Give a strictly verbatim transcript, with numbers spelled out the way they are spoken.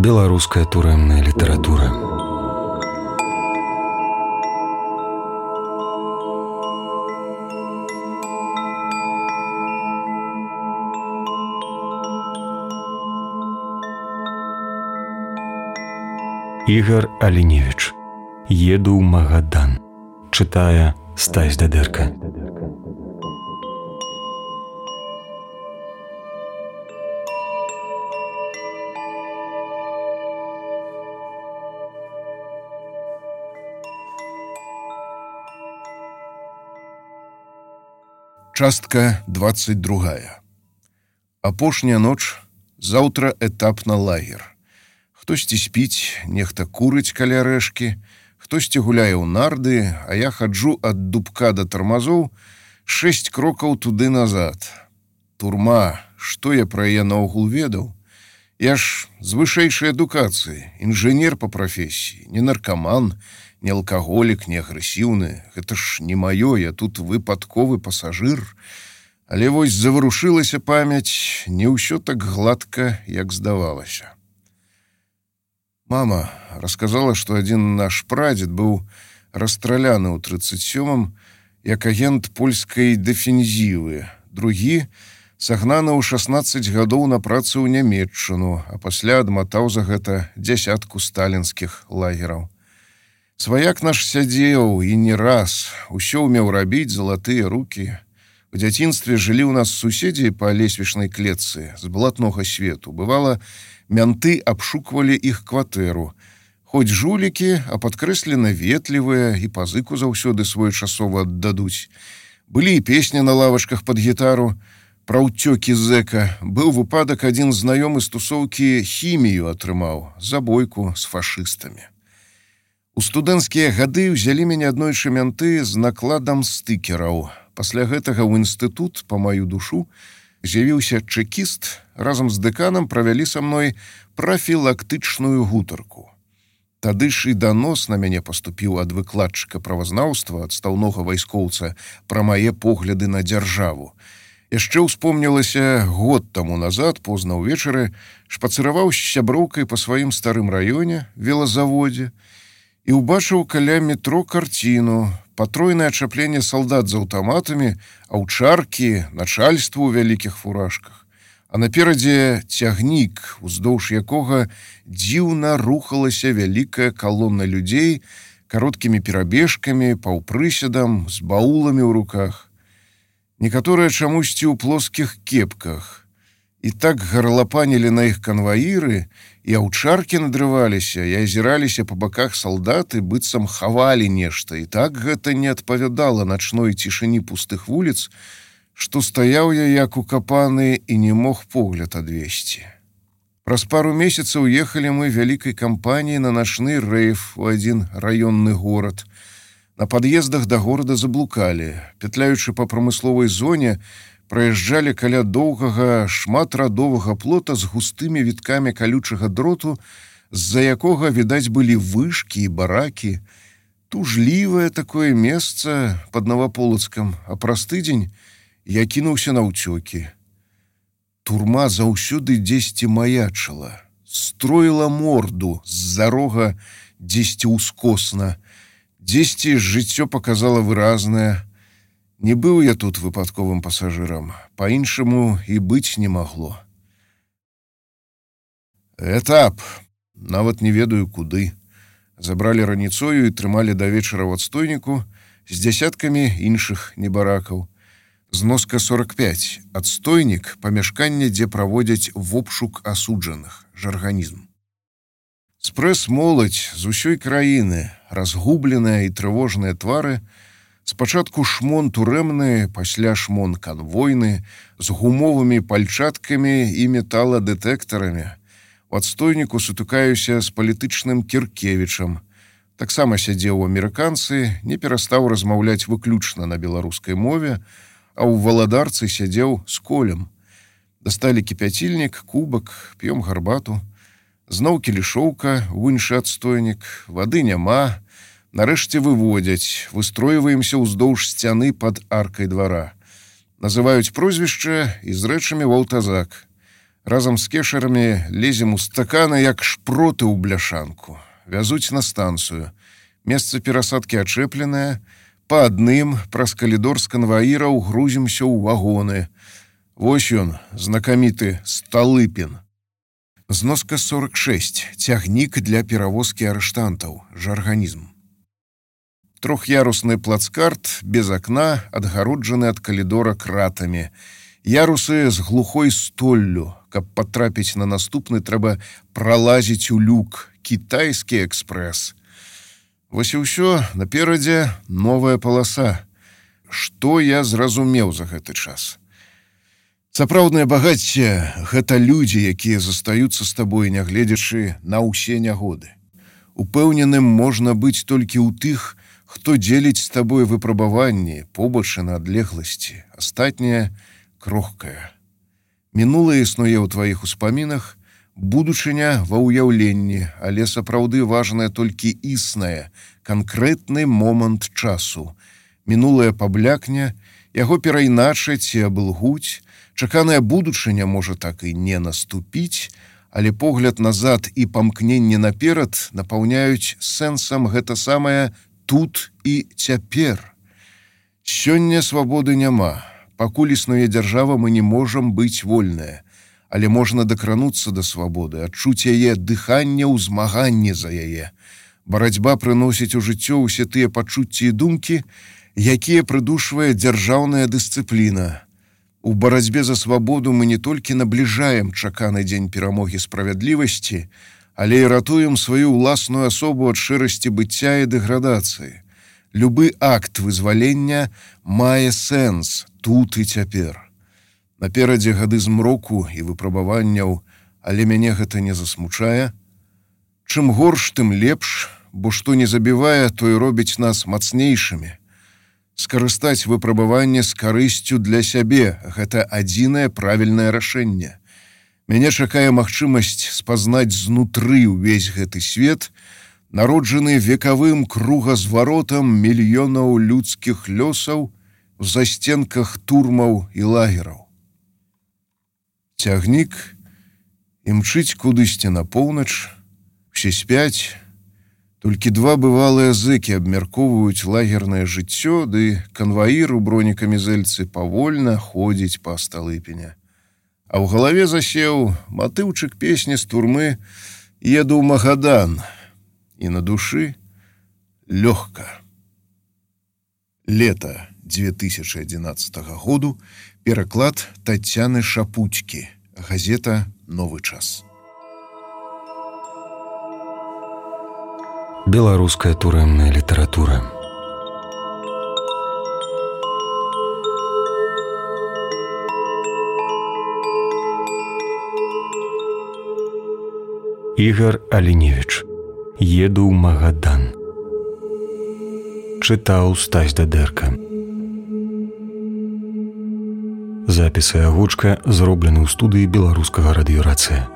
Беларуская турэмная літаратура. Ігар Аліневіч. Еду ў Магадан. Чытае Стась Дадэрка. Частка двадцать другая. Апошняя ноч, заўтра этап на лагер. Хтосьці спіць, нехта курыць каля рэшкі, хтосьці гуляе ў нарды, а я хаджу ад дубка да тармазоў шэсць крокаў туды назад. Турма, што я пра яе наогул ведаў? Я ж з вышэйшай адукацыі, інжынер па прафесіі, не наркаман, не алкаголік, не агрэсіўны. Гэта ж не маё, я тут выпадковы пасажыр. Але вось заварушылася памяць, не ўсё так гладка, як здавалася. Мама расказала, што адзін наш прадзед быў расстраляны ў трыццаць сёмым як агент польскай дэфензівы, другі сагнаны ў шаснаццаць гадоў на працу ў Нямецчыну, а пасля адматаў за гэта дзясятку сталінскіх лагераў. Сваяк наш сядзеў і не раз, усё ўмеў рабіць, залатыя рукі. У дзяцінстве жылі ў нас суседзі па лесвічнай клетцы з блатнога свету. Бывала, мянты абшуквалі іх кватэру. Хоць жулікі, а падкрэслена ветлівыя і пазыку заўсёды своечасова аддадуць. Былі і песні на лавачках пад гітару. Пра ўцёкі зэка. Быў выпадак, адзін знаёмы з тусоўкі хімію атрымаў, забойку з фашыстамі. У студэнцкія гады ўзялі мяне аднойчы мянты з накладам стыкераў. Пасля гэтага ў інстытут, па маю душу, з'явіўся чэкіст, разам з дэканам правялі са мной прафілактычную гутарку. Тады ж і данос на мяне паступіў ад выкладчыка правазнаўства, адстаўнога вайскоўца, пра мае погляды на дзяржаву. Яшчэ ўспомнілася, год таму назад, позна ўвечары, шпацыраваў з сяброўкай па сваім старым раёне, велазаводзе, і ўбачыў каля метро карціну, патройнае ачапленне салдат з аўтаматамі, аўчаркі, начальства ў вялікіх фуражках. А наперадзе цягнік, уздоўж якога дзіўна рухалася вялікая калона людзей кароткімі перабежкамі, паўпрыседам, з бауламі ў руках. Некаторыя чамусьці ў плоскіх кепках. І так гарлапанілі на іх канваіры, і аўчаркі надрываліся, і азіраліся па баках салдаты, быццам хавалі нешта, і так гэта не адпавядала начной цішыні пустых вуліц, што стаяў я як укапаны і не мог погляд адвесці. Праз пару месяцаў ехалі мы вялікай кампаніяй на начны рэйф у адзін раённы горад. На пад'ездах да горада заблукалі, пятляючы па прамысловай зоне, праязджалі каля доўгага шматрадовага плота з густымі віткамі калючага дроту, з-за якога, відаць, былі вышкі і баракі. Тужлівае такое месца пад Наваполацкам, а праз тыдзень я кінуўся на ўцёкі. Турма заўсёды дзесьці маячыла, строіла морду з-за рога дзесьці ўскосна, дзесьці жыццё паказала выразнае. Не быў я тут выпадковым пасажырам, па-іншаму і быць не магло. Этап. Нават не ведаю куды. Забралі раніцою і трымалі да вечара ў адстойніку з дзясяткамі іншых небаракаў. Зноска сорок пяць. Адстойнік, памяшканне, дзе праводзяць вобшук асуджаных, жарганізм. Спрэс-моладзь з усёй краіны, разгубленыя і трывожныя твары, спачатку шмон турэмны, пасля шмон канвойны, з гумовымі пальчаткамі і металадэтэктарамі. У адстойніку сутыкаюся з палітычным Кіркевічам. Таксама сядзеў у амерыканцы, не перастаў размаўляць выключна на беларускай мове, а ў валадарцы сядзеў з Колем. Дасталі кіпяцільнік, кубак, п'ём гарбату. Зноў кілішоўка, ў іншы адстойнік, вады няма. Нарэшце выводзяць, выстройваемся ўздоўж сцяны пад аркай двара. Называюць прозвішча і з рэчамі ў аўтазак. Разам з кешарамі лезем у стаканы, як шпроты ў бляшанку. Вязуць на станцыю. Месца перасадкі ачэпленае. Па адным праз калідор з канваіраў грузімся ў вагоны. Вось ён, знакаміты Сталыпін. Зноска сорок шесть. Цягнік для перавозкі арыштантаў. Жарганізм. Трох'ярусны плацкарт без акна, адгароджаны ад калідора кратамі. Ярусы з глухой столлю. Каб патрапіць на наступны, трэба пралазіць у люк. Кітайскі экспрэс. Вось і ўсё, наперадзе новая паласа. Што я зразумеў за гэты час? Сапраўднае багацце — гэта людзі, якія застаюцца з табой, нягледзячы на ўсе нягоды. Упэўненым можна быць толькі ў тых, хто дзеліць з табой выпрабаванні, побачы на адлегласці. Астатняе крохкае. Мінулае існуе ў тваіх успамінах, будучыня ва ўяўленні, але сапраўды важнае толькі існае, канкрэтны момант часу. Мінулае паблякне, яго перайначаць і абылгуць, чаканая будучыня можа так і не наступіць, але погляд назад і памкненне наперад напаўняюць сэнсам гэта самае тут і цяпер. Сёння свабоды няма. Пакуль існуе дзяржава, мы не можам быць вольныя, але можна дакрануцца да свабоды, адчуць яе дыханне ў змаганні за яе. Барацьба прыносіць у жыццё ўсе тыя пачуцці і думкі, якія прыдушвае дзяржаўная дысцыпліна. У барацьбе за свабоду мы не толькі набліжаем чаканы дзень перамогі справядлівасці, але і ратуем сваю ўласную асобу ад шэрасці быцця і дэградацыі. Любы акт вызвалення мае сэнс тут і цяпер. Наперадзе гады змроку і выпрабаванняў, але мяне гэта не засмучае. Чым горш, тым лепш, бо што не забівае, то і робіць нас мацнейшымі. Скарыстаць выпрабаванне з карысцю для сябе — гэта адзінае правільнае рашэнне. Мяне чакае магчымасць спазнаць знутры ўвесь гэты свет, народжаны векавым кругазваротам мільёнаў людскіх лёсаў у застенках турмаў і лагераў. Цягнік імчыць кудысьці на поўнач, усе спяць, толькі два бывалыя зэкі абмяркоўваюць лагернае жыццё, ды канваір у бронекамізэльцы павольна ходзіць па Сталыпіне. А ў галаве засеў матыўчык песні з турмы «Еду ў Магадан», і на душы лёгка. Лета две тысячи одиннадцатого году. Пераклад Тацяны Шапуцькі. Газета «Новы час». Беларуская турэмная літаратура. Ігар Аліневіч. «Еду ў Магадан». Чытаў Стась Дадэрка. Запісы агучка зроблены ў студыі беларускага радыёрацыя.